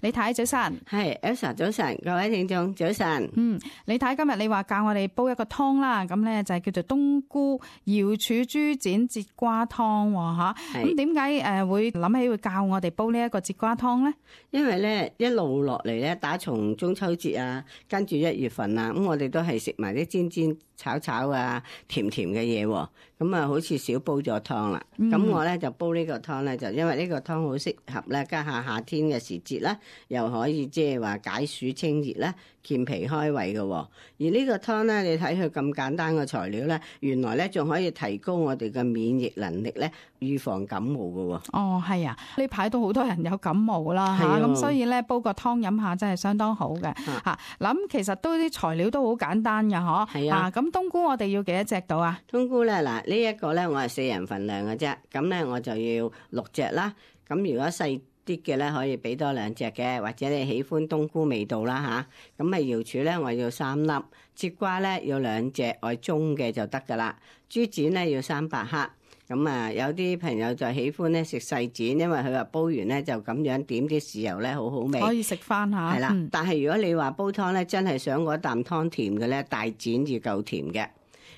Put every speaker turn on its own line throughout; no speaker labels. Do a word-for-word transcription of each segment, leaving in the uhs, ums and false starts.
李太早晨。
係 Elsa 早晨，各位聽眾早晨。
嗯，李太今日你話教我哋煲一個湯啦，咁咧就係叫做冬菇瑤柱豬展節瓜湯吓。咁點解誒會諗起會教我哋煲呢一個節瓜湯咧？
因為咧一路落嚟咧，打從中秋節啊，跟住一月份啊，咁我哋都係食埋啲煎煎炒炒啊，甜甜嘅嘢，咁啊好似少煲咗湯啦。咁、嗯、我咧就煲呢個湯咧，就因為呢個湯好適合咧，家下夏天嘅時節啦，又可以即係話解暑清熱啦，健脾開胃嘅。而呢個湯咧，你睇佢咁簡單嘅材料咧，原來咧仲可以提高我哋嘅免疫能力咧，預防感冒嘅。
哦，係啊，呢排都好多人有感冒啦吓，咁、啊、所以咧煲個湯飲下真係相當好嘅吓。嗱、啊，咁其實都啲材料都好簡單嘅嗬。係啊，咁、啊、冬菇我哋要幾多隻到啊？冬菇咧嗱，
呢一個咧我係四人份量嘅啫，咁咧我就要六隻啦。咁如果細啲嘅咧，可以俾多兩隻嘅，或者你喜歡冬菇味道啦吓。咁啊瑤柱咧我要三粒，節瓜咧要兩隻，愛中嘅就得噶啦。豬展咧要三百克。咁啊，有啲朋友就喜歡咧食細展，因為佢話煲完咧就咁樣點啲豉油咧，好好味，
可以食翻下。係啦、嗯，
但係如果你話煲湯咧，真係想嗰啖湯甜嘅咧，大展要夠甜嘅。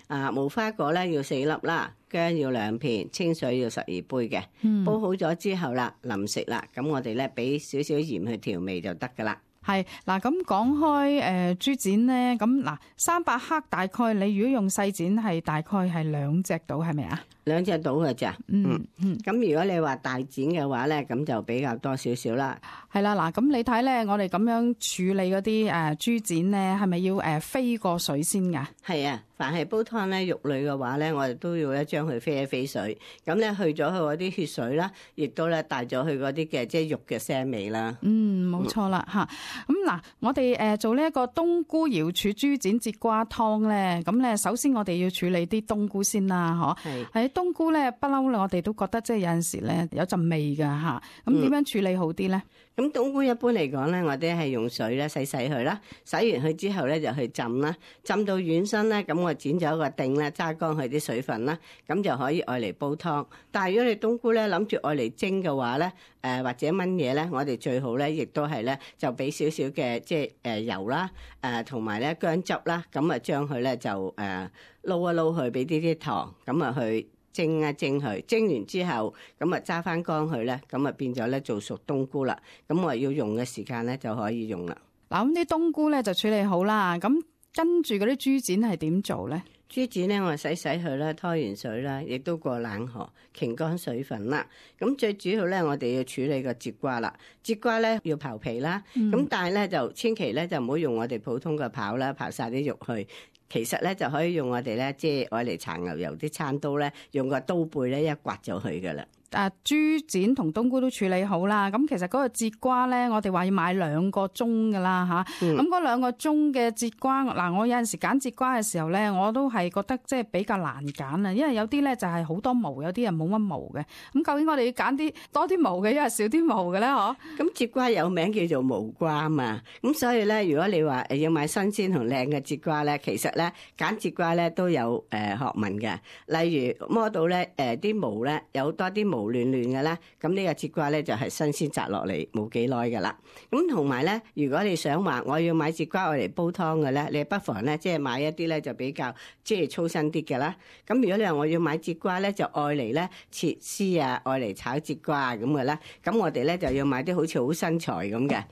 啊，無花果咧要四粒啦，薑要兩片，清水要十二杯嘅。嗯、煲好咗之後啦，臨食啦，咁我哋咧俾少少鹽去調味就得噶啦。
係嗱，咁講開誒豬展咧，咁嗱三百克大概你如果用細展係大概係兩隻到係咪啊？
兩隻到嘅咋？嗯嗯。咁如果你話大展嘅話咧，咁就比較多少少啦。
係啦，嗱，咁你睇咧，我哋咁樣處理嗰啲誒豬展咧，係咪要誒飛過水先噶？
係啊，凡係煲湯咧肉類嘅話咧，我哋都要咧將佢飛一飛水，咁咧去咗佢嗰啲血水啦，亦都咧帶咗佢嗰啲嘅即係肉嘅腥味啦。
嗯，冇錯啦吓。咁嗱，我哋誒做呢一個冬菇瑤柱豬展節瓜湯咧，咁咧首先我哋要處理啲冬菇先啦，嗬。係。喺冬菇咧，不嬲我哋都覺得即係有陣時咧有陣味噶吓。咁點樣處理好啲咧？
咁、嗯、冬菇一般嚟講咧，我哋係用水咧洗洗佢啦，洗完佢之後咧就去浸啦，浸到軟身咧，咁我剪咗個頂咧，揸乾佢啲水分啦，咁就可以愛嚟煲湯。但係如果你冬菇咧諗住愛嚟蒸嘅話咧，誒、呃、或者炆嘢咧，我哋最好咧亦都係咧就俾少少嘅即係誒油啦，誒同埋咧薑汁啦，咁啊將佢咧就誒撈、呃、一撈佢，俾啲啲糖，咁啊去蒸一蒸佢，蒸完之後咁啊揸翻乾佢咧，咁啊變咗咧做熟冬菇啦。咁我要用嘅時間咧就可以用啦。
嗱，咁啲冬菇咧就處理好啦。咁跟住嗰啲豬展係點做咧？
豬展咧我洗洗佢啦，拖完水啦，亦都過冷河，擎乾水分啦。咁最主要咧，我哋要處理個節瓜啦。節瓜咧要刨皮啦，咁、嗯、但係咧就千祈咧就唔好用我哋普通嘅刨啦，刨晒啲肉去。其實咧就可以用我哋咧，即係愛嚟搽牛油啲餐刀咧，用個刀背咧一刮就去噶啦。
誒豬展同冬菇都處理好啦，咁其實嗰個節瓜咧，我哋話要買兩個鐘噶啦嚇，咁嗰兩個鐘嘅節瓜，嗱我有陣時揀節瓜嘅時候咧，我都係覺得即係比較難揀啊，因為有啲咧就係好多毛，有啲人冇乜毛嘅，咁究竟我哋要揀啲多啲毛嘅，因為少啲毛嘅咧，嗬？咁
節瓜有名叫做毛瓜嘛，咁所以咧，如果你話誒要買新鮮同靚嘅節瓜咧，其實咧揀節瓜咧都有誒學問嘅，例如摸到咧誒啲毛咧有多啲毛亂亂嘅咧，咁呢個節瓜咧就係新鮮摘落嚟冇幾耐噶啦。咁同埋咧，如果你想話我要買節瓜愛嚟煲湯嘅咧，你不妨咧即係買一啲咧就比較即係粗身啲嘅啦。咁如果你話我要買節瓜咧，就愛嚟咧切絲啊，愛嚟炒節瓜咁嘅啦。咁我哋咧就要買啲好似好身材咁嘅，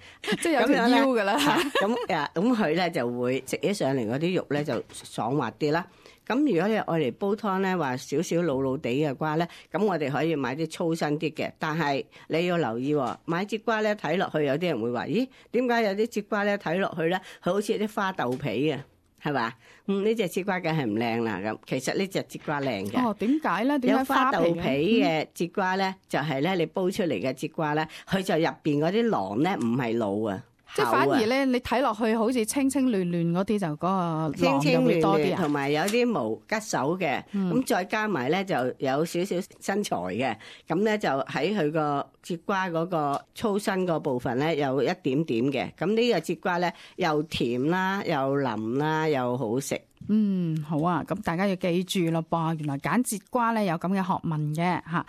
即係有條腰噶啦。
咁啊，咁佢咧就會食起上嚟嗰啲肉咧就爽滑啲啦。咁如果你愛嚟煲湯咧，話少少老老地嘅瓜咧，咁我哋可以買啲粗身啲嘅。但係你要留意，買節瓜咧睇落去，有啲人會話：咦，點解有啲節瓜咧睇落去咧，佢好似啲花豆皮啊？係嘛？嗯，呢隻節瓜梗係唔靚啦。咁其實呢隻節瓜靚嘅。哦，點解咧？點解花豆皮嘅節瓜咧，就係咧你煲出嚟嘅節瓜咧，佢就入邊嗰啲囊咧唔係老啊。
即係反而咧，你睇落去好似清清亂亂嗰啲，就嗰個囊就會多啲啊。
同埋有啲毛吉手嘅，咁、嗯、再加埋咧就有少少身材嘅，咁咧就喺佢個節瓜嗰個粗身個部分咧有一點點嘅。咁呢個節瓜咧又甜啦，又腍啦，又好食。
嗯，好啊，咁大家要記住咯噃，原來揀節瓜咧有咁嘅學問嘅吓。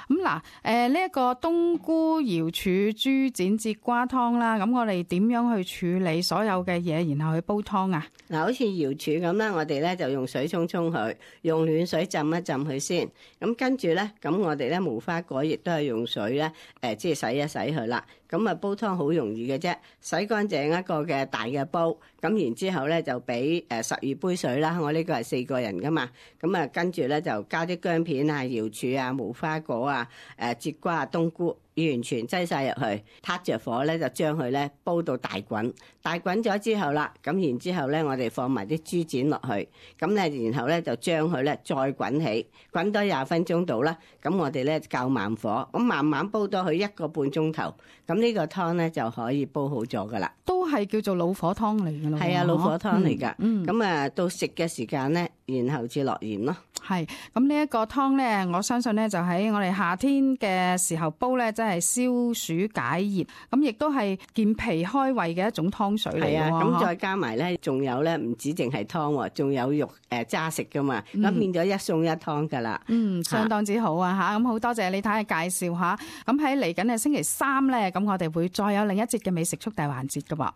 咁嗱，誒呢一個冬菇瑤柱豬展節瓜湯啦，咁我哋點樣去處理所有嘅嘢，然後去煲湯啊？
嗱，好似瑤柱咁啦，我哋咧就用水沖沖佢，用暖水浸一浸佢先。咁跟住咧，咁我哋咧無花果亦都係用水咧，誒即係洗一洗佢啦。咁啊煲湯好容易嘅啫，洗乾淨一個嘅大嘅煲，咁然之後咧就俾誒十二杯水啦。我呢個係四個人噶嘛，咁啊跟住咧就加啲薑片啊、瑤柱啊、無花果啊、誒節瓜啊、冬菇，完全擠晒入去，撻着火咧就將佢咧煲到大滾，大滾咗之後啦，咁然之後咧我哋放埋啲豬展落去，咁咧然後咧就將佢咧再滾起，滾多廿分鐘到啦，咁我哋咧較慢火，咁慢慢煲多佢一個半鐘頭，咁呢個湯咧就可以煲好咗噶啦。
都係叫做老火湯嚟㗎咯。
係啊，老火湯嚟㗎。
嗯，
咁啊到食嘅時間咧，然後至落鹽咯。
係，咁呢一個湯咧，我相信咧就喺我哋夏天嘅時候煲咧，真係消暑解熱，咁亦都係健脾開胃嘅一種湯水嚟嘅。
係啊，咁再加埋咧，仲有咧唔止淨係湯喎，仲有肉誒揸食噶嘛，咁、嗯、變咗一餸一湯噶啦。
嗯，相當之好啊嚇，咁好多謝李太嘅介紹嚇。咁喺嚟緊嘅星期三咧，咁我哋會再有另一節嘅美食速遞環節噶噃。